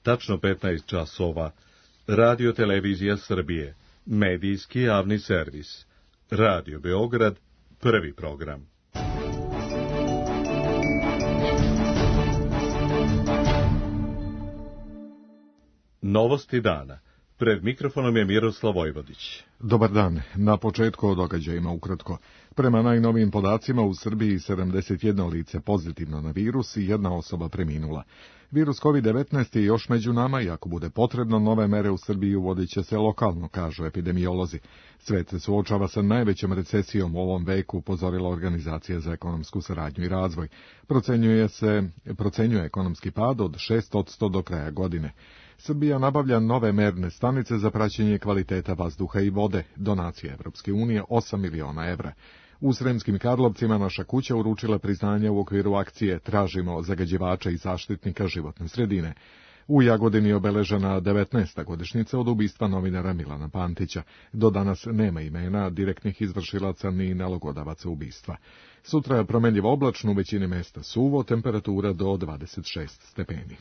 tačno 15 časova, Radio Televizija Srbije, medijski javni servis, Radio Beograd, prvi program. Novosti dana. Pred mikrofonom je Miroslav Vojvodić. Dobar dan. Na početku o događajima ukratko. Prema najnovijim podacima u Srbiji 71 lice pozitivno na virus i jedna osoba preminula. Virus COVID-19 je još među nama i ako bude potrebno, nove mere u Srbiji uvodit će se lokalno, kažu epidemiolozi. Svet se suočava sa najvećom recesijom u ovom veku, upozorila Organizacija za ekonomsku saradnju i razvoj. Procenjuje ekonomski pad od 6% do kraja godine. Srbija nabavlja nove merne stanice za praćenje kvaliteta vazduha i vode, donacija Evropske unije 8 miliona evra. U Sremskim Karlovcima naša kuća uručila priznanje u okviru akcije Tražimo zagađivača i zaštitnika životne sredine. U Jagodini je obeležena 19. godišnjica od ubistva novinara Milana Pantića. Do danas nema imena direktnih izvršilaca ni nalogodavaca ubistva. Sutra je promenljivo oblačno, u većini mesta suvo, temperatura do 26 stepeni.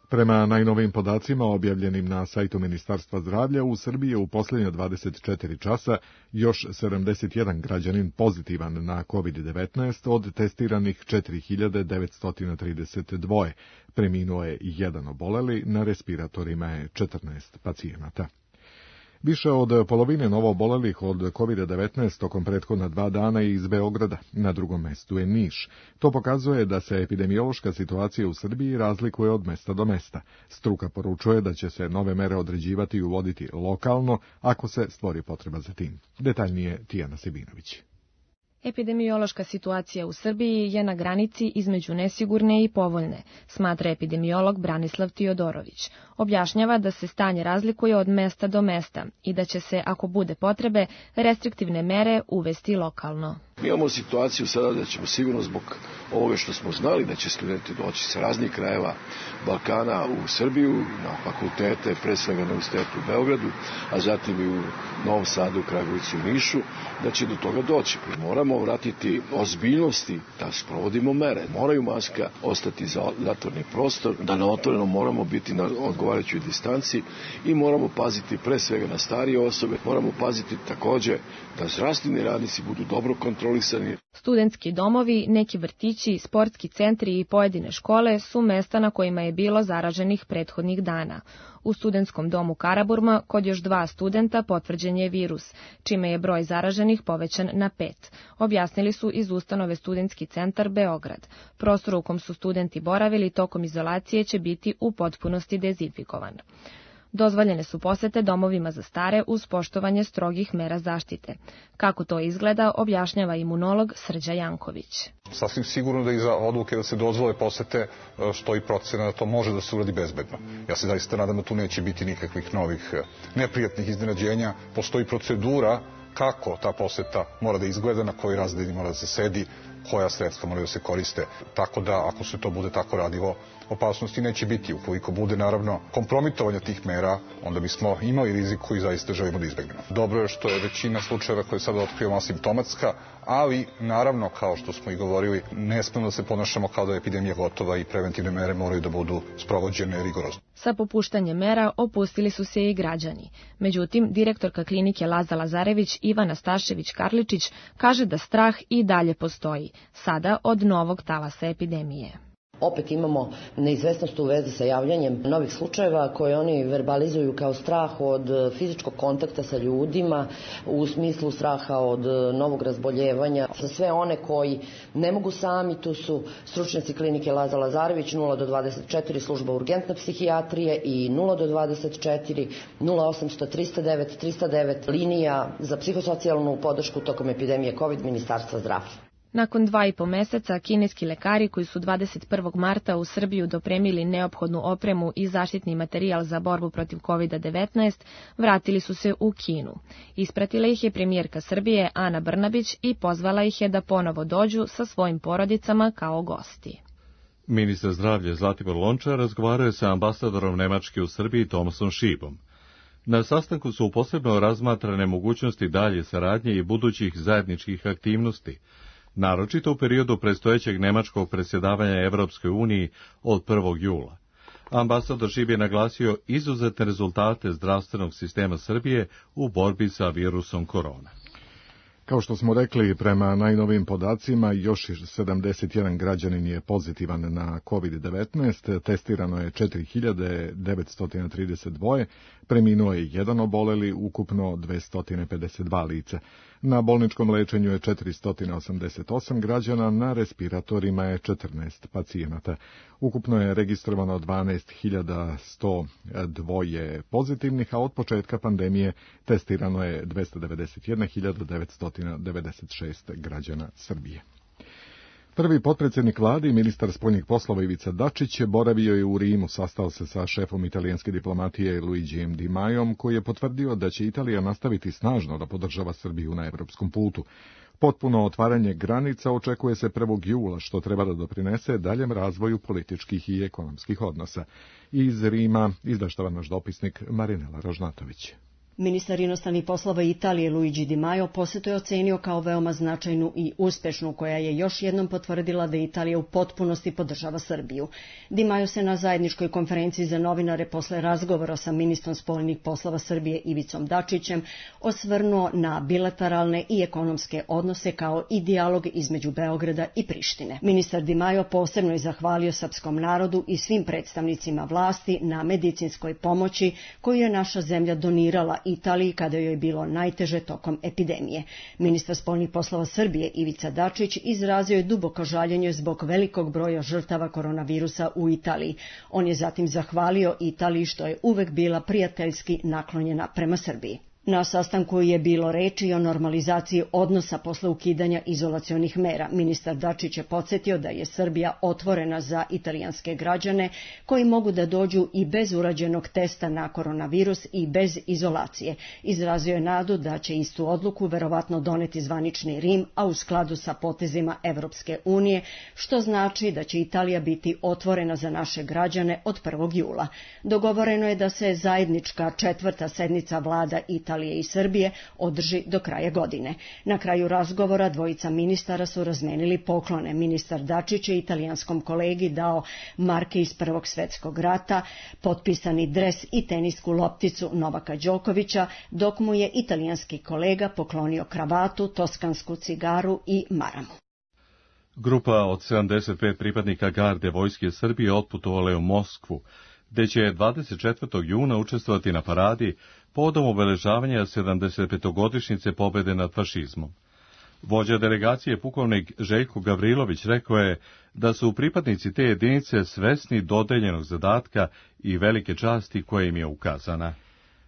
Prema najnovijim podacima objavljenim na sajtu Ministarstva zdravlja, u Srbiji je u posljednje 24 časa još 71 građanin pozitivan na COVID-19 od testiranih 4932. Preminuo je jedan oboleli, na respiratorima je 14 pacijenata. Više od polovine novoobolelih od COVID-19 tokom prethodna 2 dana je iz Beograda, na drugom mestu je Niš. To pokazuje da se epidemiološka situacija u Srbiji razlikuje od mesta do mesta. Struka poručuje da će se nove mere određivati i uvoditi lokalno ako se stvori potreba za tim. Detaljnije Tijana Sebinović. Epidemiološka situacija u Srbiji je na granici između nesigurne i povoljne, smatra epidemiolog Branislav Tiodorović. Objašnjava da se stanje razlikuje od mesta do mesta i da će se, ako bude potrebe, restriktivne mere uvesti lokalno. Mi imamo situaciju sada da ćemo sigurno zbog ovoga što smo znali da će studenti doći sa raznih krajeva Balkana u Srbiju, na fakultete, pre svega na Univerzitetu u Beogradu, a zatim i u Novom Sadu, Kragujevcu i Nišu, da će do toga doći. Moramo vratiti ozbiljnosti da sprovodimo mere. Moraju maska ostati za zatvorni prostor, da na otvorenom moramo biti na odgovarajućoj distanci i moramo paziti pre svega na starije osobe, moramo paziti takođe da zdravstveni radnici budu dobro kontrolisani. Studentski domovi, neki vrtići, sportski centri i pojedine škole su mesta na kojima je bilo zaraženih prethodnih dana. U studentskom domu Karaburma kod još 2 studenta potvrđen je virus, čime je broj zaraženih povećan na 5. Objasnili su iz ustanove Studentski centar Beograd. Prostor u kom su studenti boravili tokom izolacije će biti u potpunosti dezinfikovan. Dozvoljene su posete domovima za stare uz poštovanje strogih mera zaštite. Kako to izgleda, objašnjava imunolog Srđa Janković. Sasvim sigurno da iza odluke da se dozvole posete stoji procena da to može da se uradi bezbedno. Ja se zaista nadam da tu neće biti nikakvih novih neprijatnih iznenađenja. Postoji procedura kako ta poseta mora da izgleda, na koji razred mora da se sedi, koja sredstva moraju da se koriste, tako da ako se to bude tako radilo, opasnosti neće biti. Ukoliko bude naravno kompromitovanja tih mera, onda bismo imali rizik koji zaista želimo da izbegnemo. Dobro je što je većina slučajeva koje sada otkrivamo asimptomatska, ali naravno, kao što smo i govorili, ne smemo da se ponašamo kao da je epidemija gotova i preventivne mere moraju da budu sprovođene rigorozno. Sa popuštanjem mera opustili su se i građani. Međutim, direktorka klinike Laza Lazarević Ivana Stašević-Karličić kaže da strah i dalje postoji, sada od novog talasa epidemije. Opet imamo neizvesnost u vezi sa javljanjem novih slučajeva koje oni verbalizuju kao strah od fizičkog kontakta sa ljudima, u smislu straha od novog razboljevanja. Za sve one koji ne mogu sami, tu su stručnjaci klinike Laza Lazarević 0 do 24 služba urgentne psihijatrije i 0 do 24 0800 309 309 linija za psihosocijalnu podršku tokom epidemije COVID Ministarstva zdravlja. Nakon 2,5 meseca, kineski lekari koji su 21. marta u Srbiju dopremili neophodnu opremu i zaštitni materijal za borbu protiv COVID-19, vratili su se u Kinu. Ispratila ih je premijerka Srbije Ana Brnabić i pozvala ih je da ponovo dođu sa svojim porodicama kao gosti. Ministar zdravlja Zlatibor Lončar razgovarao je sa ambasadorom Nemačke u Srbiji Tomasom Šibom. Na sastanku su posebno razmatrane mogućnosti dalje saradnje i budućih zajedničkih aktivnosti. naročito u periodu predstojećeg nemačkog predsjedavanja Evropskoj uniji od 1. jula. Ambasador Šib je naglasio izuzetne rezultate zdravstvenog sistema Srbije u borbi sa virusom korona. Kao što smo rekli, prema najnovijim podacima, još 71 građanin je pozitivan na COVID-19, testirano je 4932, preminuo je jedan oboleli, ukupno 252 lica. Na bolničkom lečenju je 488 građana, na respiratorima je 14 pacijenata. Ukupno je registrovano 12.102 pozitivnih, a od početka pandemije testirano je 291.996 građana Srbije. Prvi potpredsjednik vlade i ministar spoljnih poslova Ivica Dačić boravio je u Rimu, sastao se sa šefom italijanske diplomatije Luigijem Di Majom, koji je potvrdio da će Italija nastaviti snažno da podržava Srbiju na evropskom putu. Potpuno otvaranje granica očekuje se 1. jula, što treba da doprinese daljem razvoju političkih i ekonomskih odnosa. Iz Rima izveštava naš dopisnik Marinela Ražnatović. Ministar inostranih poslova Italije Luigi Di Maio posetu je ocenio kao veoma značajnu i uspešnu, koja je još jednom potvrdila da Italija u potpunosti podržava Srbiju. Di Maio se na zajedničkoj konferenciji za novinare posle razgovora sa ministrom spoljnih poslova Srbije Ivicom Dačićem osvrnuo na bilateralne i ekonomske odnose kao i dijalog između Beograda i Prištine. Ministar Di Maio posebno je zahvalio srpskom narodu i svim predstavnicima vlasti na medicinskoj pomoći koju je naša zemlja donirala Italiji kada joj je bilo najteže tokom epidemije. Ministar spoljnih poslova Srbije Ivica Dačić izrazio je duboko žaljenje zbog velikog broja žrtava koronavirusa u Italiji. On je zatim zahvalio Italiji što je uvek bila prijateljski naklonjena prema Srbiji. Na sastanku je bilo reči o normalizaciji odnosa posle ukidanja izolacionih mera. Ministar Dačić je podsjetio da je Srbija otvorena za italijanske građane koji mogu da dođu i bez urađenog testa na koronavirus i bez izolacije. Izrazio je nadu da će istu odluku verovatno doneti zvanični Rim, a u skladu sa potezima Evropske unije, što znači da će Italija biti otvorena za naše građane od 1. jula. Dogovoreno je da se zajednička 4. sednica vlada Italije i Srbije održi do kraja godine. Na kraju razgovora dvojica ministara su razmenili poklone. Ministar Dačić je italijanskom kolegi dao marke iz Prvog svetskog rata, potpisani dres i tenisku lopticu Novaka Đokovića, dok mu je italijanski kolega poklonio kravatu, toskansku cigaru i maramu. Grupa od 75 pripadnika garde vojske Srbije otputovala je u Moskvu, gde će 24. juna učestvovati na paradi povodom obeležavanja 75-godišnjice pobede nad fašizmom. Vođa delegacije pukovnik Željko Gavrilović rekao je da su pripadnici te jedinice svesni dodeljenog zadatka i velike časti koja im je ukazana.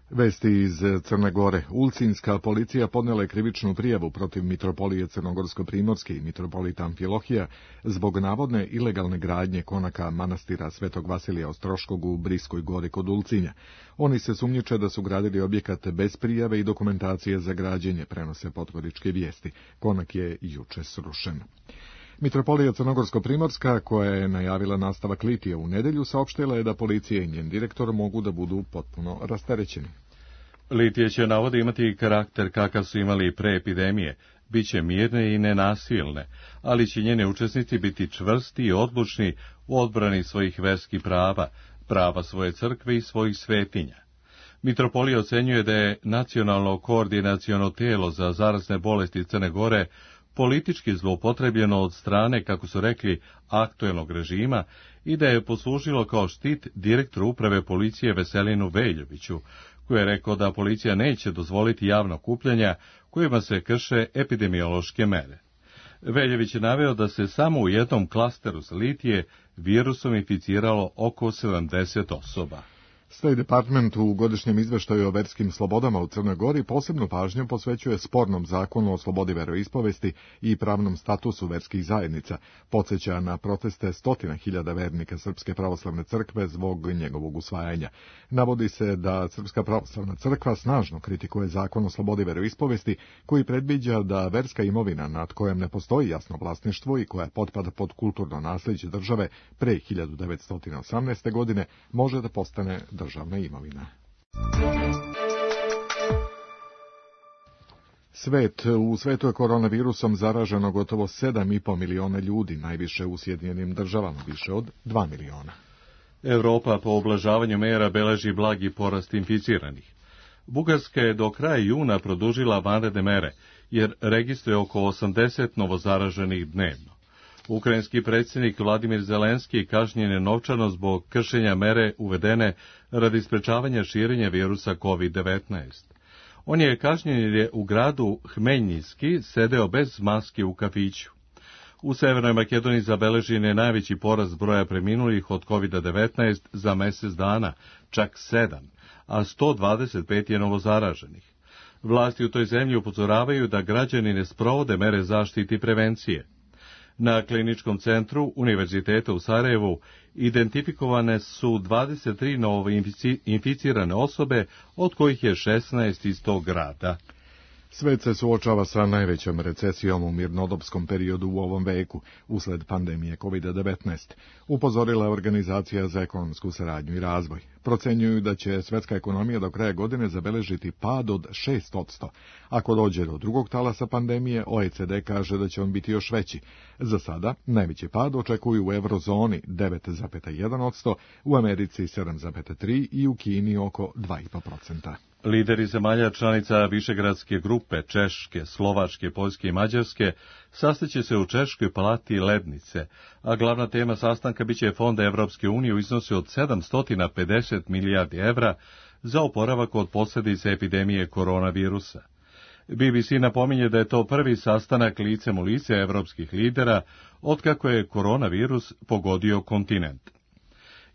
Vesti iz Crne Gore. Ulcinska policija podnela je krivičnu prijavu protiv mitropolije Crnogorsko-Primorske i mitropolita Amfilohija zbog navodne ilegalne gradnje konaka manastira Svetog Vasilija Ostroškog u Briskoj gori kod Ulcinja. Oni se sumnjiče da su gradili objekat bez prijave i dokumentacije za građenje, prenose podgoričke vijesti. Konak je juče srušen. Mitropolija Crnogorsko-Primorska, koja je najavila nastavak litija u nedelju, saopštila je da policija i njen direktor mogu da budu potpuno rasterećeni. Litije će, navode, imati karakter kakav su imali pre epidemije, bit će mirne i nenasilne, ali će njeni učesnici biti čvrsti i odlučni u odbrani svojih verskih prava, prava svoje crkve i svojih svetinja. Mitropolija ocenjuje da je nacionalno koordinaciono telo za zarazne bolesti Crne Gore politički zloupotrebljeno od strane, kako su rekli, aktuelnog režima i da je poslužilo kao štit direktoru uprave policije Veselinu Veljoviću, koji je rekao da policija neće dozvoliti javna okupljanja kojima se krše epidemiološke mere. Veljović je naveo da se samo u jednom klasteru za litije virusom inficiralo oko 70 osoba. State Department u godišnjem izveštaju o verskim slobodama u Crnoj Gori posebnu pažnju posvećuje spornom zakonu o slobodi veroispovesti i pravnom statusu verskih zajednica, podsjeća na proteste 100.000 vernika Srpske pravoslavne crkve zbog njegovog usvajanja. Navodi se da Srpska pravoslavna crkva snažno kritikuje zakon o slobodi veroispovesti, koji predviđa da verska imovina nad kojom ne postoji jasno vlasništvo i koja potpada pod kulturno nasljeđe države pre 1918. godine može da postane državna imovina. U svetu je koronavirusom zaraženo gotovo 7,5 miliona ljudi, najviše u Sjedinjenim Državama, više od 2 miliona. Evropa po oblažavanju mera beleži blagi porast inficiranih. Bugarska je do kraja juna produžila vanredne mere, jer registruje oko 80 novozaraženih dnevno. Ukrajinski predsjednik Vladimir Zelenski kažnjen je novčano zbog kršenja mere uvedene radi sprečavanja širenja virusa COVID-19. On je kažnjen jer je u gradu Hmeljinski sedeo bez maske u kafiću. U Severnoj Makedoniji zabeležen je najveći porast broja preminulih od COVID-19 za mjesec dana, čak 7, a 125 je novozaraženih. Vlasti u toj zemlji upozoravaju da građani ne sprovode mere zaštite i prevencije. Na kliničkom centru Univerziteta u Sarajevu identifikovane su 23 novo inficirane osobe, od kojih je 16 iz tog grada. Svet se suočava sa najvećom recesijom u mirnodopskom periodu u ovom veku, usled pandemije COVID-19, upozorila je Organizacija za ekonomsku saradnju i razvoj. Procenjuju da će svetska ekonomija do kraja godine zabeležiti pad od 6%. Ako dođe do drugog talasa pandemije, OECD kaže da će on biti još veći. Za sada, najveći pad očekuju u eurozoni 9,1%, u Americi 7,3% i u Kini oko 2,5%. Lideri zemalja članica Višegradske grupe, Češke, Slovačke, Poljske i Mađarske, sastaće se u Češkoj palati Lednice, a glavna tema sastanka biće fonda Evropske unije u iznosu od 750 milijardi evra za oporavak od posljedica epidemije koronavirusa. BBC napominje da je to prvi sastanak licem u lice evropskih lidera otkako je koronavirus pogodio kontinent.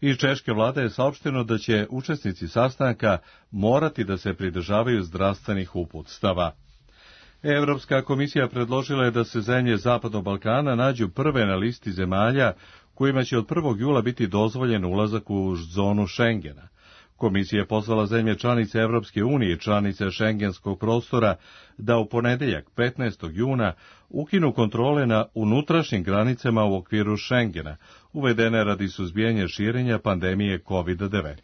Iz češke vlade je saopšteno da će učesnici sastanka morati da se pridržavaju zdravstvenih uputstava. Evropska komisija predložila je da se zemlje Zapadnog Balkana nađu prve na listi zemalja kojima će od 1. jula biti dozvoljen ulazak u zonu Schengena. Komisija je pozvala zemlje članice Evropske unije i članice šengenskog prostora da u ponedjeljak 15. juna ukinu kontrole na unutrašnjim granicama u okviru Schengena, uvedene radi suzbijanja širenja pandemije COVID-19.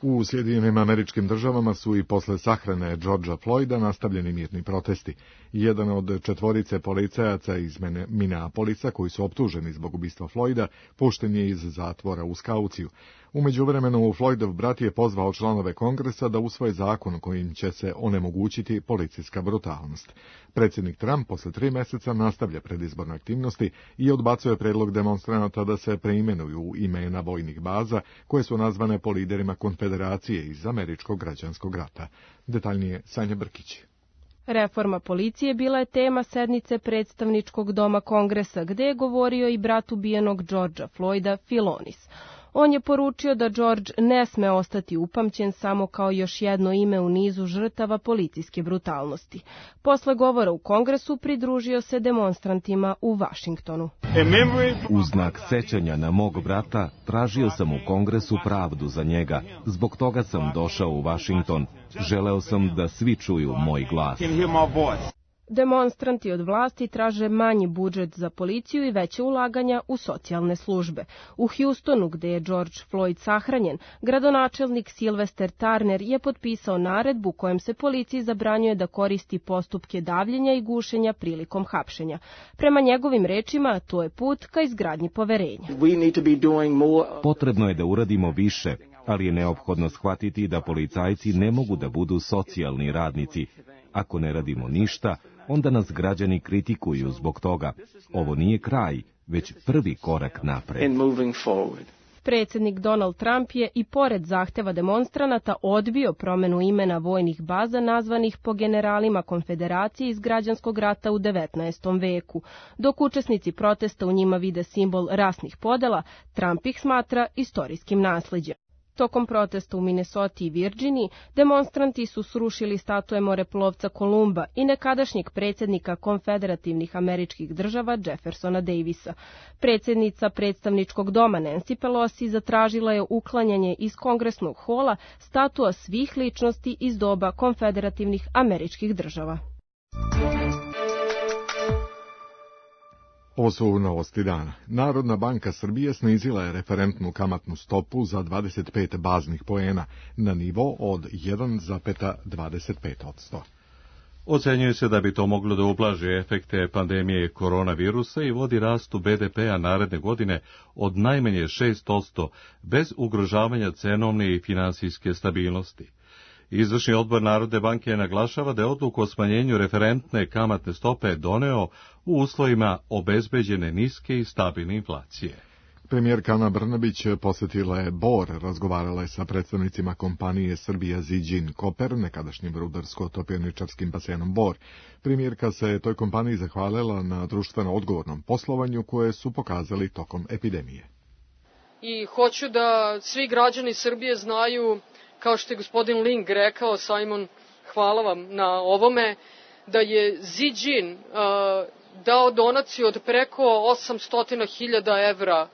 U Sjedinjenim Američkim Državama su i posle sahrane Georgea Floyda nastavljeni mirni protesti. Jedan od 4 policajaca iz Minneapolisa koji su optuženi zbog ubistva Floyda pušten je iz zatvora uz kauciju. U međuvremenu Floydov brat je pozvao članove Kongresa da usvoje zakon kojim će se onemogućiti policijska brutalnost. Predsjednik Trump posle 3 mjeseca nastavlja predizborne aktivnosti i odbacuje predlog demonstranata da se preimenuju imena vojnih baza koje su nazvane po liderima konfederacije iz Američkog građanskog rata. Detaljnije Sanja Brkić. Reforma policije bila je tema sednice predstavničkog doma Kongresa, gde je govorio i brat ubijenog Georgea Floyda, Philonis. On je poručio da George ne sme ostati upamćen samo kao još jedno ime u nizu žrtava policijske brutalnosti. Posle govora u Kongresu pridružio se demonstrantima u Vašingtonu. U znak sećanja na mog brata tražio sam u Kongresu pravdu za njega. Zbog toga sam došao u Vašington. Želeo sam da svi čuju moj glas. Demonstranti od vlasti traže manji budžet za policiju i veće ulaganja u socijalne službe. U Houstonu, gde je George Floyd sahranjen, gradonačelnik Sylvester Turner je potpisao naredbu kojem se policiji zabranjuje da koristi postupke davljenja i gušenja prilikom hapšenja. Prema njegovim rečima, to je put ka izgradnji poverenja. Potrebno je da uradimo više, ali je neophodno shvatiti da policajci ne mogu da budu socijalni radnici. Ako ne radimo ništa, onda nas građani kritikuju zbog toga. Ovo nije kraj, već prvi korak napred. Predsjednik Donald Trump je i pored zahteva demonstranata odbio promenu imena vojnih baza nazvanih po generalima konfederacije iz građanskog rata u 19. veku. Dok učesnici protesta u njima vide simbol rasnih podela, Trump ih smatra istorijskim nasleđem. Tokom protesta u Minnesoti i Virginiji, demonstranti su srušili statue moreplovca Kolumba i nekadašnjeg predsjednika konfederativnih američkih država Jeffersona Davisa. Predsjednica predstavničkog doma Nancy Pelosi zatražila je uklanjanje iz kongresnog hola statua svih ličnosti iz doba konfederativnih američkih država. Ovo su novosti dana. Narodna banka Srbije snizila je referentnu kamatnu stopu za 25 baznih poena na nivo od 1,25%. Ocenjuje se da bi to moglo da ublaži efekte pandemije koronavirusa i vodi rastu BDP-a naredne godine od najmanje 6%, bez ugrožavanja cenovne i finansijske stabilnosti. Izvršni odbor Narodne banke naglašava da je odluku o smanjenju referentne kamatne stope doneo u uslovima obezbeđene niske i stabilne inflacije. Premijerka Ana Brnabić posjetila je Bor, razgovarala je sa predstavnicima kompanije Srbija Ziđin Koper, nekadašnjim rudarsko-topioničarskim basenom Bor. Premijerka se toj kompaniji zahvalila na društveno odgovornom poslovanju koje su pokazali tokom epidemije. I hoću da svi građani Srbije znaju, kao što je gospodin Ling rekao, Simon, hvala vam na ovome, da je Ziđin dao donaciju od preko 800.000 evra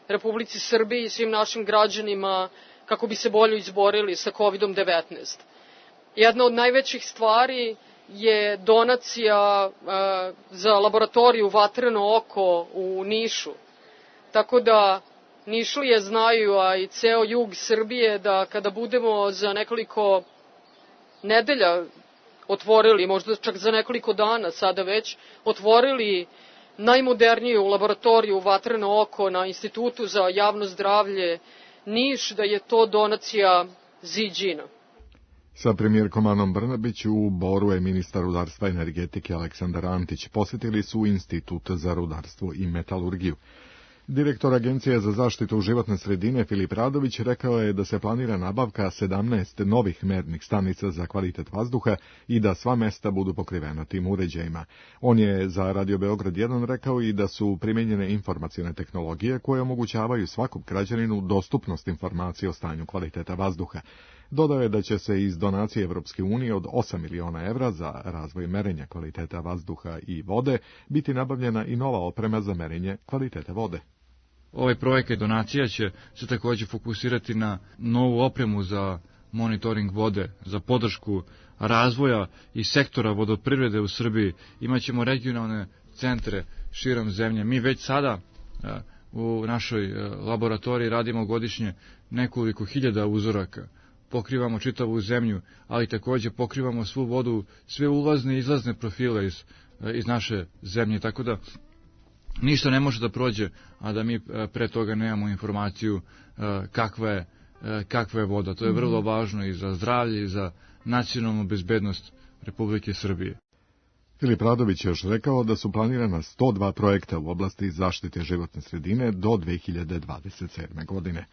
Republici Srbiji i svim našim građanima kako bi se bolje izborili sa COVID-19. Jedna od najvećih stvari je donacija za laboratoriju Vatreno oko u Nišu. Tako da Nišlije znaju, a i ceo jug Srbije, da kada budemo za nekoliko nedelja otvorili, možda čak za nekoliko dana sada već, otvorili najmoderniju laboratoriju Vatreno oko na Institutu za javno zdravlje Niš, da je to donacija Ziđina. Sa premijerkom Anom Brnabić u Boru je ministar rudarstva i energetike Aleksandar Antić. Posjetili su Institut za rudarstvo i metalurgiju. Direktor Agencije za zaštitu životne sredine Filip Radović rekao je da se planira nabavka 17 novih mernih stanica za kvalitet vazduha i da sva mesta budu pokrivena tim uređajima. On je za Radio Beograd 1 rekao i da su primijenjene informacione tehnologije koje omogućavaju svakom građaninu dostupnost informacije o stanju kvaliteta vazduha. Dodao je da će se iz donacije Evropske unije od 8 miliona evra za razvoj merenja kvaliteta vazduha i vode biti nabavljena i nova oprema za merenje kvaliteta vode. Ovaj projekat donacija će se također fokusirati na novu opremu za monitoring vode, za podršku razvoja i sektora vodoprivrede u Srbiji. Imaćemo regionalne centre širom zemlje. Mi već sada u našoj laboratoriji radimo godišnje nekoliko hiljada uzoraka. Pokrivamo čitavu zemlju, ali također pokrivamo svu vodu, sve ulazne i izlazne profile iz naše zemlje, tako da ništa ne može da prođe, a da mi pre toga nemamo informaciju kakva je voda. To je vrlo važno i za zdravlje i za nacionalnu bezbednost Republike Srbije. Filip Radović je još rekao da su planirana 102 projekta u oblasti zaštite životne sredine do 2027. godine.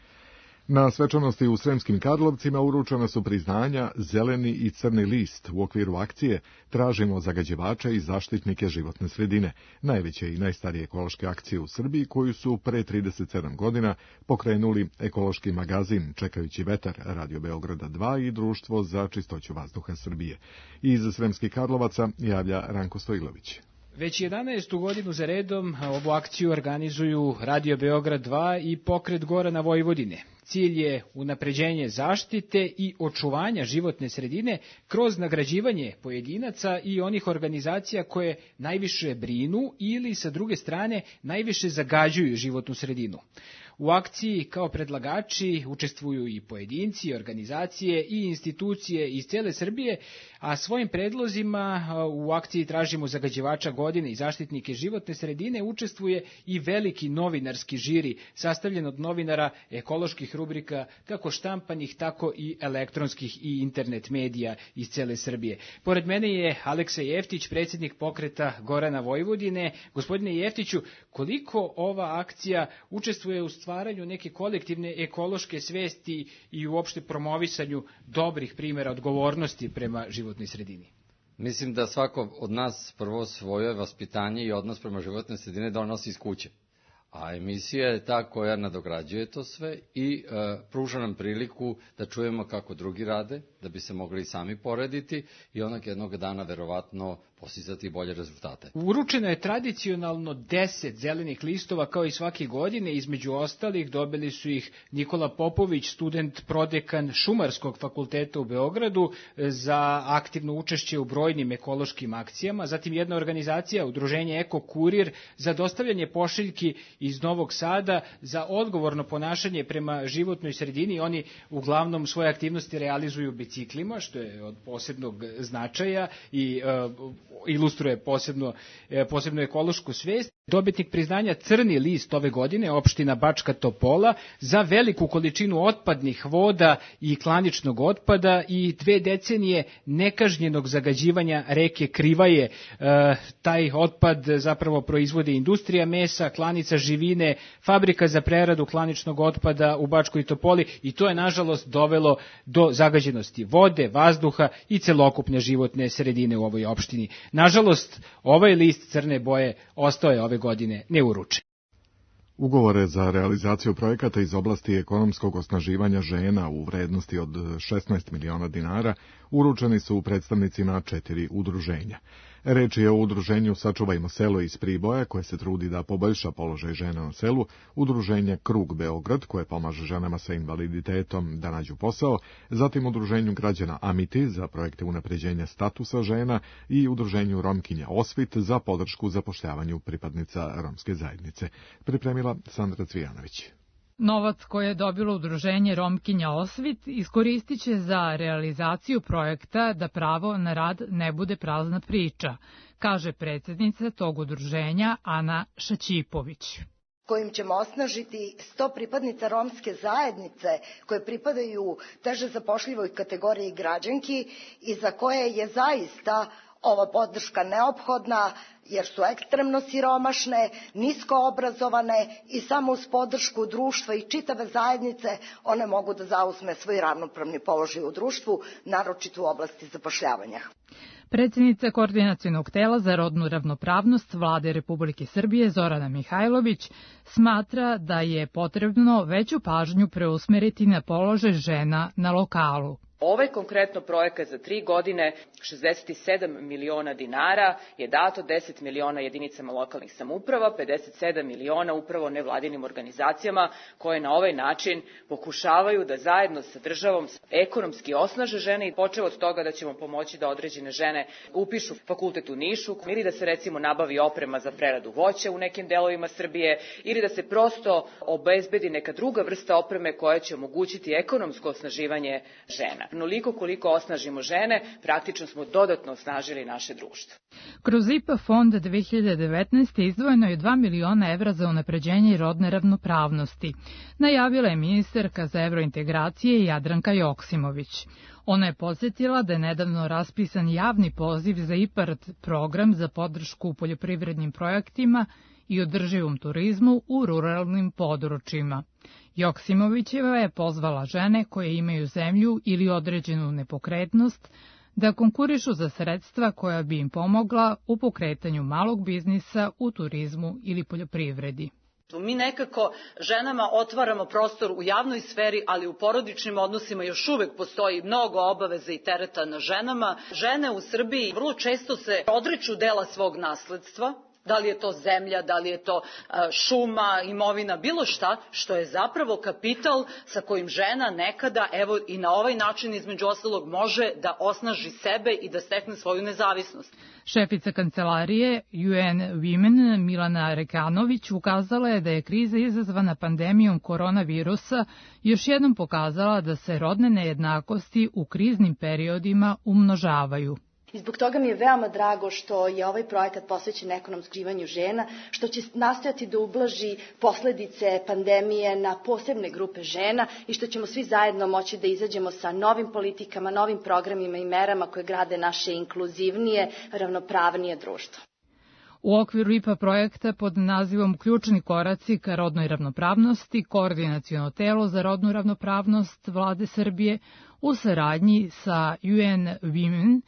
Na svečanosti u Sremskim Karlovcima uručena su priznanja Zeleni i Crni list. U okviru akcije tražimo zagađivače i zaštitnike životne sredine, najveće i najstarije ekološke akcije u Srbiji koju su pre 37 godina pokrenuli Ekološki magazin Čekajući vetar, Radio Beograda 2 i Društvo za čistoću vazduha Srbije. Iz Sremskih Karlovaca javlja Ranko Stojlović. Već 11. godinu za redom ovu akciju organizuju Radio Beograd 2 i Pokret Gorana Vojvodine. Cilj je unapređenje zaštite i očuvanja životne sredine kroz nagrađivanje pojedinaca i onih organizacija koje najviše brinu ili, sa druge strane, najviše zagađuju životnu sredinu. U akciji kao predlagači učestvuju i pojedinci, organizacije i institucije iz cele Srbije, a svojim predlozima u akciji tražimo zagađivača godine i zaštitnike životne sredine učestvuje i veliki novinarski žiri sastavljen od novinara ekoloških rubrika kako štampanih, tako i elektronskih i internet medija iz cele Srbije. Pored mene je Aleksa Jeftić, predsjednik Pokreta Gorana Vojvodine. Gospodine Jeftiću, koliko ova akcija učestvuje u stvaranju neke kolektivne ekološke svesti i uopšte promovisanju dobrih primjera odgovornosti prema životnoj sredini? Mislim da svako od nas prvo svoje vaspitanje i odnos prema životnoj sredine donosi iz kuće. A emisija je ta koja nadograđuje to sve i pruža nam priliku da čujemo kako drugi rade, da bi se mogli sami porediti i onak jednog dana verovatno postizati bolje rezultate. Uručeno je tradicionalno 10 zelenih listova kao i svake godine. Između ostalih dobili su ih Nikola Popović, student prodekan Šumarskog fakulteta u Beogradu, za aktivno učešće u brojnim ekološkim akcijama. Zatim jedna organizacija, udruženje Eko Kurir, za dostavljanje pošiljki iz Novog Sada za odgovorno ponašanje prema životnoj sredini. Oni uglavnom svoje aktivnosti realizuju biciklima, što je od posebnog značaja i ilustruje posebno ekološku svest. Dobitnik priznanja Crni list ove godine, opština Bačka Topola, za veliku količinu otpadnih voda i klaničnog otpada i 2 decenije nekažnjenog zagađivanja reke Krivaje. Taj otpad zapravo proizvode industrija mesa, klanica živine, fabrika za preradu klaničnog otpada u Bačkoj Topoli i to je nažalost dovelo do zagađenosti vode, vazduha i celokupne životne sredine u ovoj opštini. Nažalost, ovaj list crne boje ostao je ove godine neuručen. Ugovore za realizaciju projekata iz oblasti ekonomskog osnaživanja žena u vrednosti od 16 miliona dinara uručeni su predstavnicima 4 udruženja. Reč je o udruženju Sačuvajmo selo iz Priboja, koje se trudi da poboljša položaj žena na selu, udruženje Krug Beograd, koje pomaže ženama sa invaliditetom da nađu posao, zatim udruženju građana Amiti za projekte unapređenja statusa žena i udruženju Romkinja Osvit za podršku zapošljavanju pripadnica romske zajednice. Pripremila Sandra Cvijanović. Novac koje je dobilo udruženje Romkinja Osvit iskoristit će za realizaciju projekta Da pravo na rad ne bude prazna priča, kaže predsjednica tog udruženja Ana Šaćipović. Kojim ćemo osnažiti 100 pripadnica romske zajednice koje pripadaju teže zapošljivoj kategoriji građanki i za koje je zaista ova podrška neophodna jer su ekstremno siromašne, nisko obrazovane i samo uz podršku društva i čitave zajednice one mogu da zauzme svoj ravnopravni položaj u društvu, naročito u oblasti zapošljavanja. Predsjednica Koordinacionog tela za rodnu ravnopravnost Vlade Republike Srbije Zorana Mihajlović smatra da je potrebno veću pažnju preusmeriti na položaj žena na lokalu. Ovaj konkretno projekat za 3 godine, 67 miliona dinara, je dato 10 miliona jedinicama lokalnih samouprava, 57 miliona upravo nevladinim organizacijama koje na ovaj način pokušavaju da zajedno sa državom ekonomski osnaže žene i počeo od toga da ćemo pomoći da određene žene upišu fakultet u Nišu ili da se recimo nabavi oprema za preradu voća u nekim delovima Srbije ili da se prosto obezbedi neka druga vrsta opreme koja će omogućiti ekonomsko osnaživanje žena. Onoliko koliko osnažimo žene, praktično smo dodatno osnažili naše društvo. Kroz IPA fond 2019. izdvojeno je 2 miliona evra za unapređenje rodne ravnopravnosti, najavila je ministarka za evrointegracije Jadranka Joksimović. Ona je podsjetila da je nedavno raspisan javni poziv za IPARD program za podršku poljoprivrednim projektima i održivom turizmu u ruralnim područjima. Joksimovićeva je pozvala žene koje imaju zemlju ili određenu nepokretnost da konkurišu za sredstva koja bi im pomogla u pokretanju malog biznisa u turizmu ili poljoprivredi. Mi nekako ženama otvaramo prostor u javnoj sferi, ali u porodičnim odnosima još uvek postoji mnogo obaveza i tereta na ženama. Žene u Srbiji vrlo često se odriču dela svog nasledstva, da li je to zemlja, da li je to šuma, imovina, bilo šta, što je zapravo kapital sa kojim žena nekada, evo i na ovaj način između ostalog, može da osnaži sebe i da stekne svoju nezavisnost. Šefica kancelarije UN Women Milana Rekanović ukazala je da je kriza izazvana pandemijom koronavirusa još jednom pokazala da se rodne nejednakosti u kriznim periodima umnožavaju. I zbog toga mi je veoma drago što je ovaj projekat posvećen ekonomskom živanju žena, što će nastojati da ublaži posledice pandemije na posebne grupe žena i što ćemo svi zajedno moći da izađemo sa novim politikama, novim programima i merama koje grade naše inkluzivnije, ravnopravnije društvo. U okviru IPA projekta pod nazivom Ključni koraci ka rodnoj ravnopravnosti, Koordinaciono telo za rodnu ravnopravnost Vlade Srbije u saradnji sa UN Women,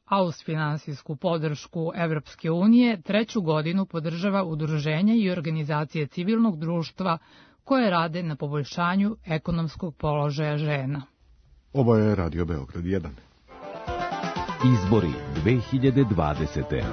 a uz finansijsku podršku Evropske unije 3. godinu podržava udruženja i organizacije civilnog društva koje rade na poboljšanju ekonomskog položaja žena. Ovo je Radio Beograd 1. Izbori 2020.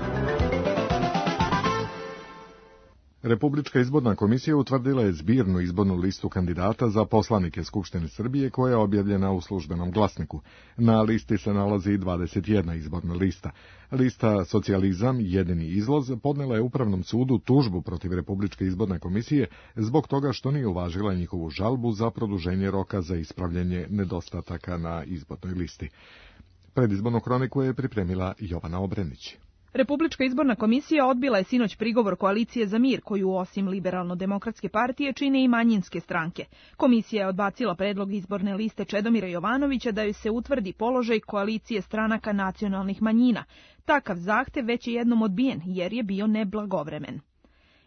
Republička izborna komisija utvrdila je zbirnu izbornu listu kandidata za poslanike Skupštine Srbije koja je objavljena u Službenom glasniku. Na listi se nalazi 21 izborna lista. Lista Socijalizam, jedini izlaz, podnela je Upravnom sudu tužbu protiv Republičke izborne komisije zbog toga što nije uvažila njihovu žalbu za produženje roka za ispravljanje nedostataka na izbornoj listi. Predizbornu kroniku je pripremila Jovana Obrenić. Republička izborna komisija odbila je sinoć prigovor Koalicije za mir, koju osim Liberalno-demokratske partije čine i manjinske stranke. Komisija je odbacila predlog izborne liste Čedomira Jovanovića da joj se utvrdi položaj koalicije stranaka nacionalnih manjina. Takav zahtev već je jednom odbijen, jer je bio neblagovremen.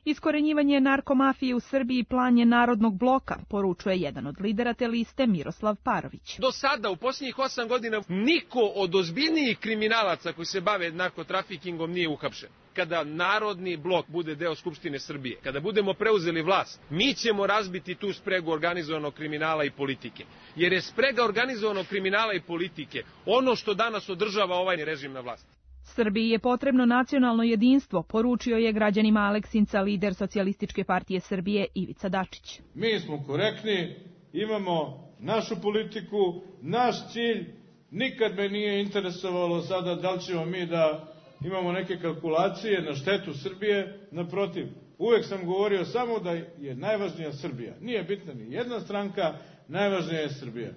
Iskorenjivanje narkomafije u Srbiji plan je Narodnog bloka, poručuje jedan od lidera te liste Miroslav Parović. Do sada, u posljednjih 8 godina, niko od ozbiljnijih kriminalaca koji se bave narkotrafikingom nije uhapšen. Kada Narodni blok bude deo Skupštine Srbije, kada budemo preuzeli vlast, mi ćemo razbiti tu spregu organizovanog kriminala i politike. Jer je sprega organizovanog kriminala i politike ono što danas održava ovaj režim na vlasti. Srbiji je potrebno nacionalno jedinstvo, poručio je građanima Aleksinca lider Socijalističke partije Srbije Ivica Dačić. Mi smo korektni, imamo našu politiku, naš cilj. Nikad me nije interesovalo sada da li ćemo mi da imamo neke kalkulacije na štetu Srbije. Naprotiv, uvek sam govorio samo da je najvažnija Srbija. Nije bitna ni jedna stranka, najvažnija je Srbija.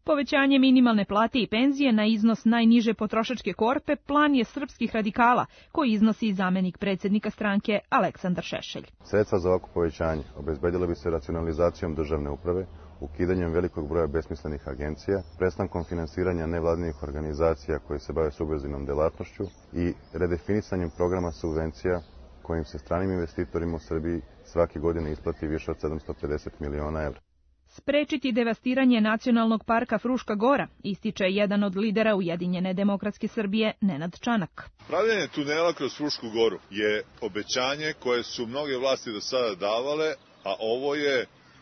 Povećanje minimalne plate i penzije na iznos najniže potrošačke korpe plan je srpskih radikala, koji iznosi i zamenik predsjednika stranke Aleksandar Šešelj. Sredstva za ovako povećanje obezbedile bi se racionalizacijom državne uprave, ukidanjem velikog broja besmislenih agencija, prestankom finansiranja nevladinih organizacija koje se bave subverzivnom delatnošću i redefinisanjem programa subvencija kojim se stranim investitorima u Srbiji svake godine isplati više od 750 miliona evra. Sprečiti devastiranje nacionalnog parka Fruška Gora, ističe jedan od lidera Ujedinjene demokratske Srbije, Nenad Čanak. Pravljenje tunela kroz Frušku Goru je obećanje koje su mnoge vlasti do sada davale, a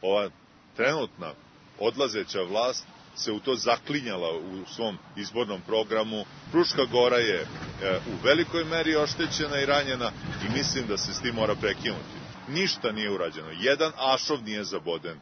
ova trenutna odlazeća vlast se u to zaklinjala u svom izbornom programu. Fruška Gora je u velikoj meri oštećena i ranjena i mislim da se s tim mora prekinuti. Ništa nije urađeno, jedan ašov nije zaboden.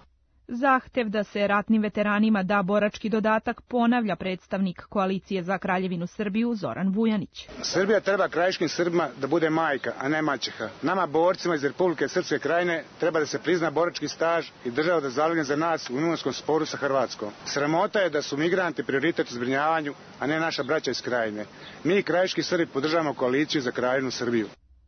Zahtev da se ratnim veteranima da borački dodatak ponavlja predstavnik Koalicije za Kraljevinu Srbiju Zoran Vujanić. Srbija treba krajiškim Srbima da bude majka, a ne maćeha. Nama borcima iz Republike Srpske Krajine treba da se prizna borački staž i država da zalogne za nas u imovinskom sporu sa Hrvatskom. Sramota je da su migranti prioritet u zbrinjavanju, a ne naša braća iz Krajine. Mi krajiški Srbi podržavamo Koaliciju za Kraljevinu Srbiju.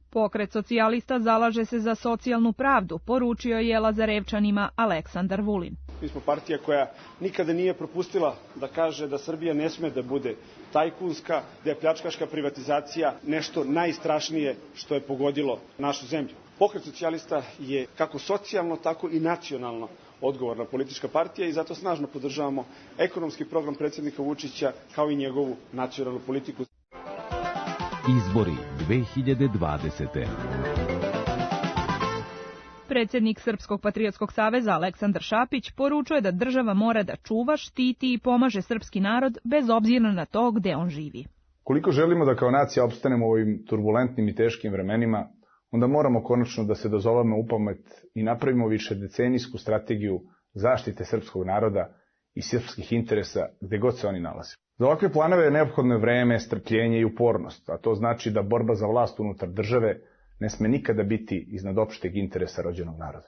Pokret socijalista zalaže se za socijalnu pravdu, poručio je Lazarevčanima Aleksandar Vulin. Mi smo partija koja nikada nije propustila da kaže da Srbija ne sme da bude tajkunska, da je pljačkaška privatizacija nešto najstrašnije što je pogodilo našu zemlju. Pokret socijalista je kako socijalno, tako i nacionalno odgovorna politička partija i zato snažno podržavamo ekonomski program predsjednika Vučića kao i njegovu nacionalnu politiku. Izbori 2020. Predsjednik Srpskog patriotskog saveza Aleksandar Šapić poručuje da država mora da čuva, štiti i pomaže srpski narod bez obzira na to gde on živi. Koliko želimo da kao nacija opstanemo u ovim turbulentnim i teškim vremenima, onda moramo konačno da se dozovemo u pamet i napravimo višedecenijsku strategiju zaštite srpskog naroda i srpskih interesa gde god se oni nalaze. Za ovakve planove je neophodno vreme, strpljenje i upornost, a to znači da borba za vlast unutar države ne sme nikada biti iznad opšteg interesa rođenog naroda.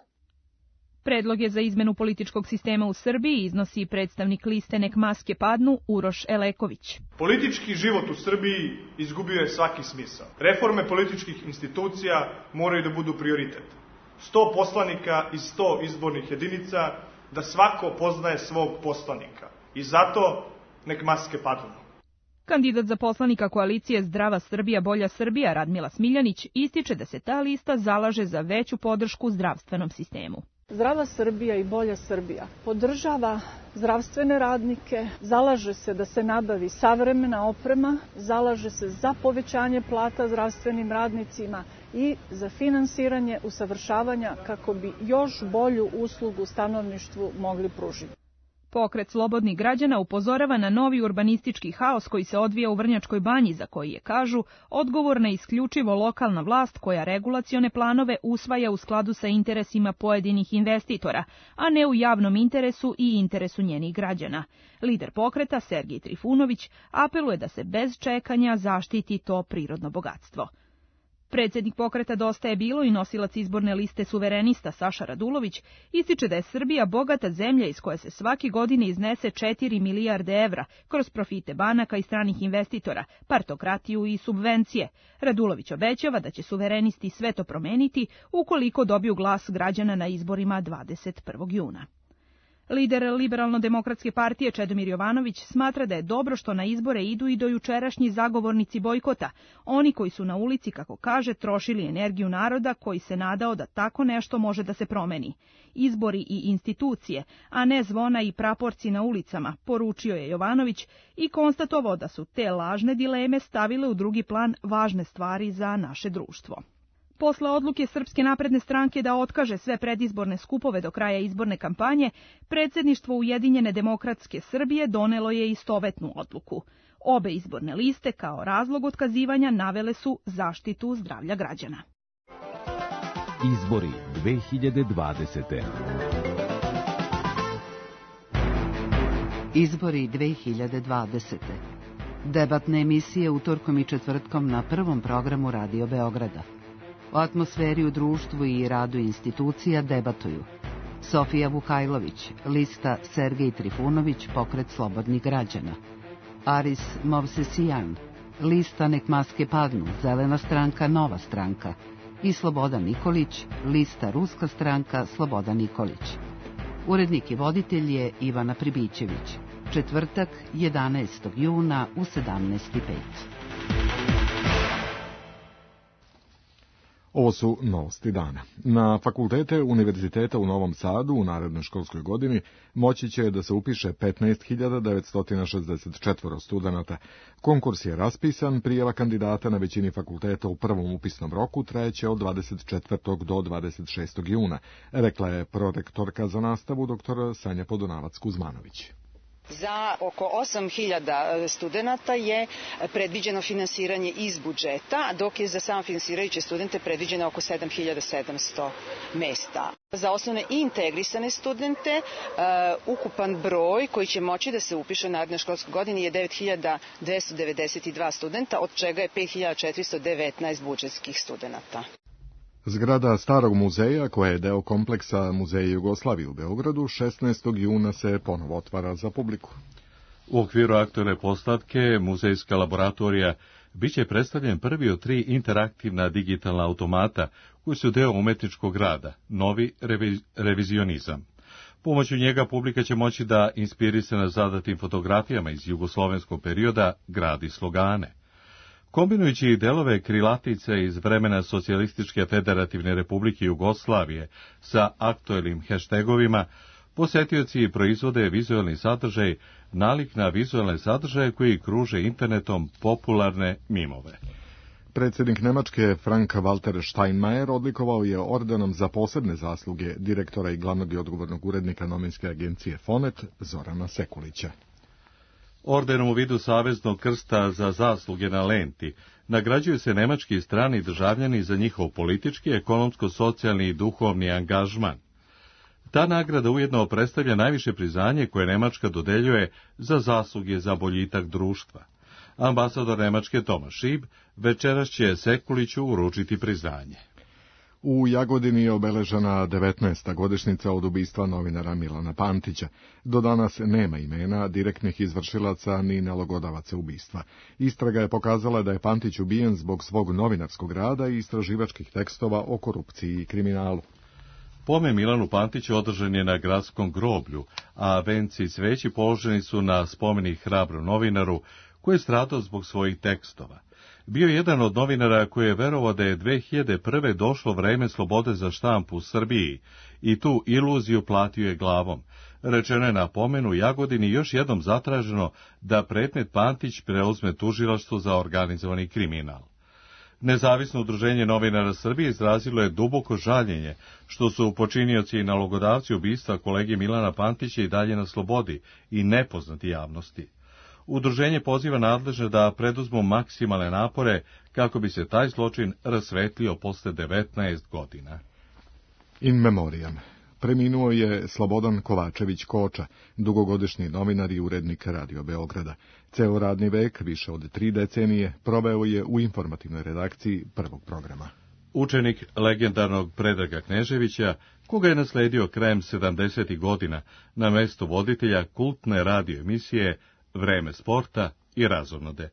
Predloge za izmenu političkog sistema u Srbiji iznosi predstavnik liste Nek maske padnu Uroš Eleković. Politički život u Srbiji izgubio je svaki smisao. Reforme političkih institucija moraju da budu prioritet. 100 poslanika iz 100 izbornih jedinica, da svako poznaje svog poslanika. I zato nek maske padnu. Kandidat za poslanika koalicije Zdrava Srbija, Bolja Srbija Radmila Smiljanić ističe da se ta lista zalaže za veću podršku zdravstvenom sistemu. Zdrava Srbija i Bolja Srbija podržava zdravstvene radnike, zalaže se da se nabavi savremena oprema, zalaže se za povećanje plata zdravstvenim radnicima i za finansiranje usavršavanja kako bi još bolju uslugu stanovništvu mogli pružiti. Pokret slobodnih građana upozorava na novi urbanistički haos koji se odvija u Vrnjačkoj banji, za koji je, kažu, odgovorna isključivo lokalna vlast koja regulacione planove usvaja u skladu sa interesima pojedinih investitora, a ne u javnom interesu i interesu njenih građana. Lider pokreta, Sergej Trifunović, apeluje da se bez čekanja zaštiti to prirodno bogatstvo. Predsjednik pokreta Dosta je bilo i nosilac izborne liste suverenista Saša Radulović ističe da je Srbija bogata zemlja iz koje se svake godine iznese 4 milijarde evra kroz profite banaka i stranih investitora, partokratiju i subvencije. Radulović obećava da će suverenisti sve to promeniti ukoliko dobiju glas građana na izborima 21. juna. Lider Liberalno-demokratske partije Čedomir Jovanović smatra da je dobro što na izbore idu i dojučerašnji zagovornici bojkota, oni koji su na ulici, kako kaže, trošili energiju naroda koji se nadao da tako nešto može da se promeni. Izbori i institucije, a ne zvona i praporci na ulicama, poručio je Jovanović i konstatovao da su te lažne dileme stavile u drugi plan važne stvari za naše društvo. Posle odluke Srpske napredne stranke da otkaže sve predizborne skupove do kraja izborne kampanje, predsjedništvo Ujedinjene demokratske Srbije donelo je istovetnu odluku. Obe izborne liste kao razlog otkazivanja navele su zaštitu zdravlja građana. Izbori 2020. Izbori 2020. Debatne emisije utorkom i četvrtkom na prvom programu Radio Beograda. O atmosferi u društvu i radu institucija debatuju Sofija Vukajlović, lista Sergej Trifunović, Pokret slobodnih građana; Aris Movsesijan, lista Nek maske padnu, Zelena stranka, Nova stranka; i Slobodan Nikolić, lista Ruska stranka, Slobodan Nikolić. Urednik i voditelj je Ivana Pribićević. Četvrtak, 11. juna u 17:05. Ovo su novosti dana. Na fakultete Univerziteta u Novom Sadu u narednoj školskoj godini moći će da se upiše 15.964 studenata. Konkurs je raspisan, prijava kandidata na većini fakulteta u prvom upisnom roku trajeće od 24. do 26. juna, rekla je prorektorka za nastavu dr. Sanja Podunavac-Kuzmanović. Za oko 8.000 studenata je predviđeno finansiranje iz budžeta, dok je za samofinansirajuće studente predviđeno oko 7.700 mesta. Za osnovne i integrisane studente ukupan broj koji će moći da se upiše u narednoj školskoj godini je 9.292 studenta, od čega je 5.419 budžetskih studenata. Zgrada Starog muzeja, koja je deo kompleksa Muzeja Jugoslavije u Beogradu, 16. juna se ponovo otvara za publiku. U okviru aktuelne postavke muzejska laboratorija biće predstavljen prvi od 3 interaktivna digitalna automata koji su deo umetničkog rada, novi revizionizam. Pomoću njega publika će moći da, inspirisana zadatim fotografijama iz jugoslovenskog perioda, gradi slogane. Kombinujući delove krilatice iz vremena Socijalističke federativne republike Jugoslavije sa aktuelnim heštegovima, posetioci proizvode vizualni sadržaj nalik na vizualne sadržaje koji kruže internetom popularne mimove. Predsjednik Nemačke Frank-Walter Steinmeier odlikovao je ordenom za posebne zasluge direktora i glavnog i odgovornog urednika novinske agencije Fonet Zorana Sekulića. Ordenom u vidu Saveznog krsta za zasluge na lenti nagrađuju se nemački i strani državljani za njihov politički, ekonomsko-socijalni i duhovni angažman. Ta nagrada ujedno predstavlja najviše priznanje koje Nemačka dodeljuje za zasluge za boljitak društva. Ambasador Nemačke Tomas Šib večeras će Sekuliću uručiti priznanje. U Jagodini je obeležena 19. godišnjica od ubistva novinara Milana Pantića. Do danas nema imena direktnih izvršilaca ni nalogodavaca ubistva. Istraga je pokazala da je Pantić ubijen zbog svog novinarskog rada i istraživačkih tekstova o korupciji i kriminalu. Pomen Milanu Pantiću održan je na gradskom groblju, a venci i cveći položeni su na spomenik hrabrom novinaru koji je stradao zbog svojih tekstova. Bio je jedan od novinara koji je verovao da je 2001. došlo vreme slobode za štampu u Srbiji i tu iluziju platio je glavom. Rečeno je na pomenu Jagodini još jednom zatraženo da predmet Pantić preuzme tužilaštvo za organizovani kriminal. Nezavisno udruženje novinara Srbije izrazilo je duboko žaljenje što su počinioci i nalogodavci ubistva kolege Milana Pantića i dalje na slobodi i nepoznati javnosti. Udruženje poziva nadležne da preduzmu maksimalne napore kako bi se taj zločin rasvetlio posle 19 godina. In memoriam. Preminuo je Slobodan Kovačević Koča, dugogodišnji novinar i urednik Radio Beograda. Ceo radni vek, više od 3 decenije, proveo je u informativnoj redakciji Prvog programa. Učenik legendarnog Predraga Kneževića, koga je nasledio krajem 70. godina na mestu voditelja kultne radio emisije Vreme sporta i Razonode.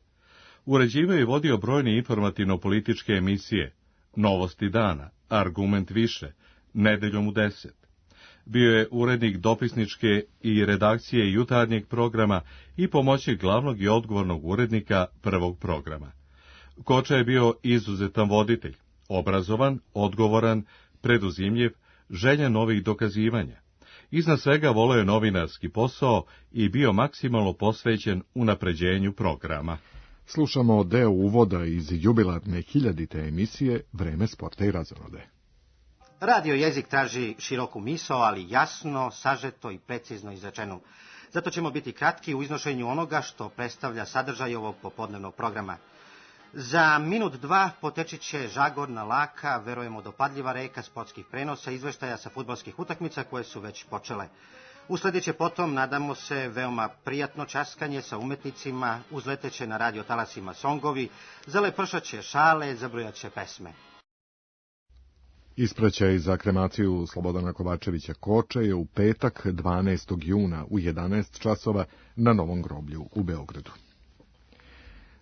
Uređivao i vodio brojne informativno-političke emisije, Novosti dana, Argument više, Nedeljom u 10. Bio je urednik dopisničke i redakcije jutarnjeg programa i pomoćnik glavnog i odgovornog urednika Prvog programa. Koča je bio izuzetan voditelj, obrazovan, odgovoran, preduzimljiv, željan novih dokazivanja. Iznad svega voleo je novinarski posao i bio maksimalno posvećen unapređenju programa. Slušamo deo uvoda iz jubilarne 1000. emisije Vreme sporta i Razonode. Radio jezik traži široku misao, ali jasno, sažeto i precizno izrečenu. Zato ćemo biti kratki u iznošenju onoga što predstavlja sadržaj ovog popodnevnog programa. Za minut, dva potečit će žagorna, laka, verujemo dopadljiva reka sportskih prenosa, izveštaja sa fudbalskih utakmica koje su već počele. Usledit će potom, nadamo se, veoma prijatno časkanje sa umetnicima, uzleteće na radio talasima songovi, zalepršaće šale, zabrujaće pesme. Ispraćaj za kremaciju Slobodana Kovačevića Koče je u petak 12. juna u 11 časova na Novom groblju u Beogradu.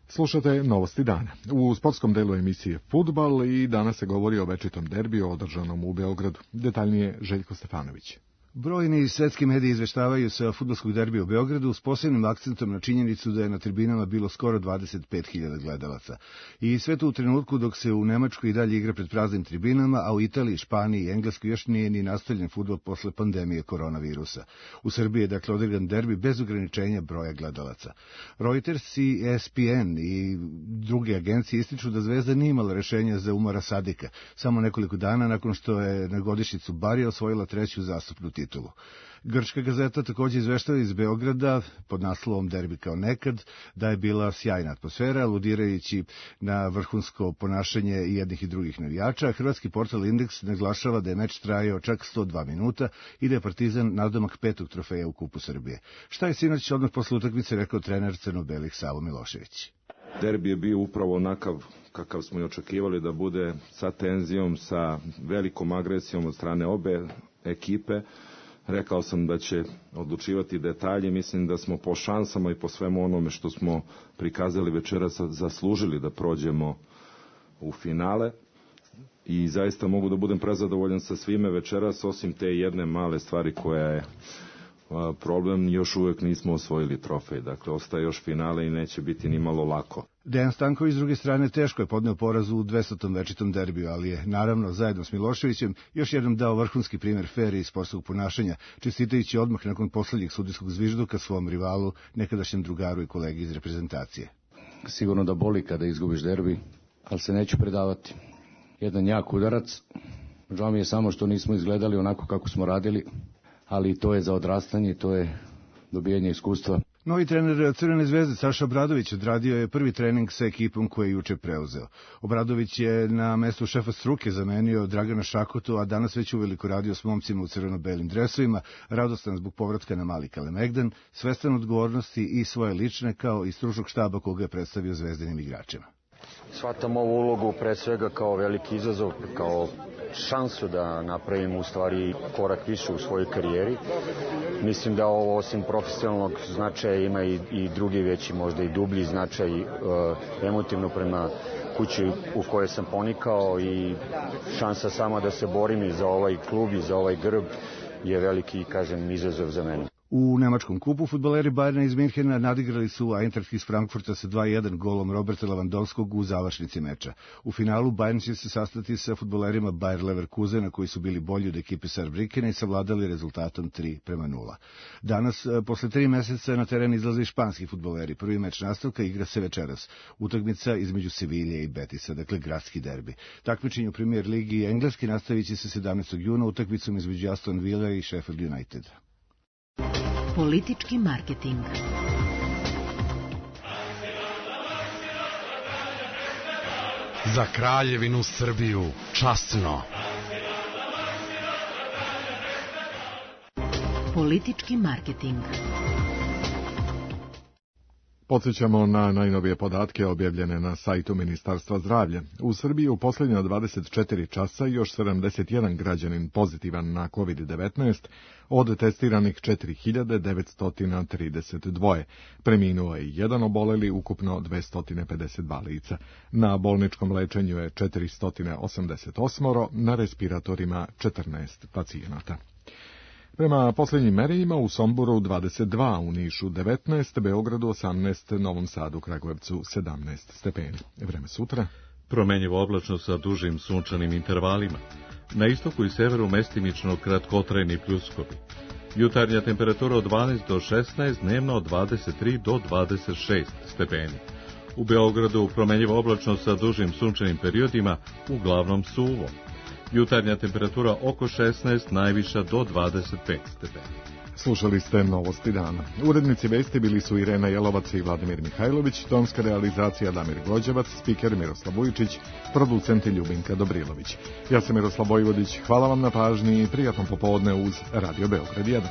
Slušate Novosti dana. U sportskom delu emisije Fudbal i danas se govori o večitom derbiju održanom u Beogradu. Detaljnije Željko Stefanović. Brojni svetski mediji izveštavaju se o fudbalskog derbija u Beogradu s posebnim akcentom na činjenicu da je na tribinama bilo skoro 25.000 gledalaca. I sve to u trenutku dok se u Nemačkoj i dalje igra pred praznim tribinama, a u Italiji, Španiji i Engleskoj još nije ni nastavljen fudbal posle pandemije koronavirusa. U Srbiji je dakle odigran derbi bez ograničenja broja gledalaca. Reuters i ESPN i druge agencije ističu da Zvezda nije imala rešenja za Umara Sadika, samo nekoliko dana nakon što je na godišnjicu Barija osvojila 3. zastupnu titulu. Grčka gazeta također izveštava iz Beograda pod naslovom Derbi kao nekad da je bila sjajna atmosfera, aludirajući na vrhunsko ponašanje i jednih i drugih navijača. Hrvatski portal Indeks naglašava da je meč trajao čak 102 minuta i da je Partizan nadomak 5. trofeja u Kupu Srbije. Šta je sinoć odmah posle utakmice rekao trener crno-belih Savo Milošević? Derbi je bio upravo onakav kakav smo i očekivali da bude, sa tenzijom, sa velikom agresijom od strane obe ekipe. Rekao sam da će odlučivati detalje, mislim da smo po šansama i po svemu onome što smo prikazali večeras zaslužili da prođemo u finale i zaista mogu da budem prezadovoljan sa svime večeras, osim te jedne male stvari koja je problem, još uvek nismo osvojili trofej, dakle ostaje još finale i neće biti ni malo lako. Dejan Stanković s druge strane teško je podneo poraz u 200. večitom derbiju, ali je naravno zajedno s Miloševićem još jednom dao vrhunski primjer fer i sportskog ponašanja, čestitajući odmah nakon poslednjeg sudijskog zvižduka svom rivalu, nekadašnjem drugaru i kolegi iz reprezentacije. Sigurno da boli kada izgubiš derbi, ali se neću predavati. Jedan jak udarac, žao mi je samo što nismo izgledali onako kako smo radili, ali to je za odrastanje, to je dobijanje iskustva. Novi trener Crvene zvezde Saša Obradović odradio je prvi trening sa ekipom koju je juče preuzeo. Obradović je na mestu šefa struke zamenio Dragana Šakotu, a danas već uveliko radio s momcima u crveno-belim dresovima, radostan zbog povratka na mali Kalemegdan, svestan odgovornosti i svoje lične kao i stručnog štaba koga je predstavio zvezdanim igračima. Shvatam ovu ulogu pre svega kao veliki izazov, kao šansu da napravim u stvari korak više u svojoj karijeri. Mislim da ovo osim profesionalnog značaja ima i drugi veći, možda i dublji značaj emotivno prema kući u kojoj sam ponikao i šansa sama da se borim i za ovaj klub i za ovaj grb je veliki, kažem, izazov za mene. U nemačkom kupu fudbaleri Bayerna iz Minhena nadigrali su Eintracht iz Frankfurta sa 2:1 golom Roberta Lewandowskog u završnici meča. U finalu Bayern će se sastati sa fudbalerima Bayer Leverkusena koji su bili bolji od ekipe Saarbrückena i savladali rezultatom 3:0. Danas, posle 3 meseca, na teren izlaze i španski fudbaleri. Prvi meč nastavka igra se večeras. Utakmica između Sevilje i Betisa, dakle gradski derbi. Takmičenje u Premier ligi i engleski nastavit će se 17. juna utakmicom između Aston Villa i Sheffield United. Politički marketing. Za Kraljevinu Srbiju, časno. Politički marketing. Podsjećamo na najnovije podatke objavljene na sajtu Ministarstva zdravlja. U Srbiji u posljednja 24 časa još 71 građanin pozitivan na COVID-19, od testiranih 4932. Preminuo je jedan oboleli, ukupno 252 lica. Na bolničkom lečenju je 488, na respiratorima 14 pacijenata. Prema posljednjim merenjima u Somboru 22, u Nišu 19, Beogradu 18, Novom Sadu, Kragujevcu 17 stepeni. Vreme sutra. Promenjivo oblačno sa dužim sunčanim intervalima. Na istoku i severu mestimično kratkotrajni pljuskovi. Jutarnja temperatura od 12 do 16, dnevno od 23 do 26 stepeni. U Beogradu promenjivo oblačno sa dužim sunčanim periodima, uglavnom suvo. Jutarnja temperatura oko 16, najviša do 25 stepeni. Slušali ste Novosti dana. Urednici vesti bili su Irena Jelovac i Vladimir Mihajlović, tonska realizacija Damir Gođevac, spiker Miroslav Vujčić, producent Ljubinka Dobrilović. Ja sam Miroslav Vojvodić, hvala vam na pažnji i prijatno popodne uz Radio Beograd 1.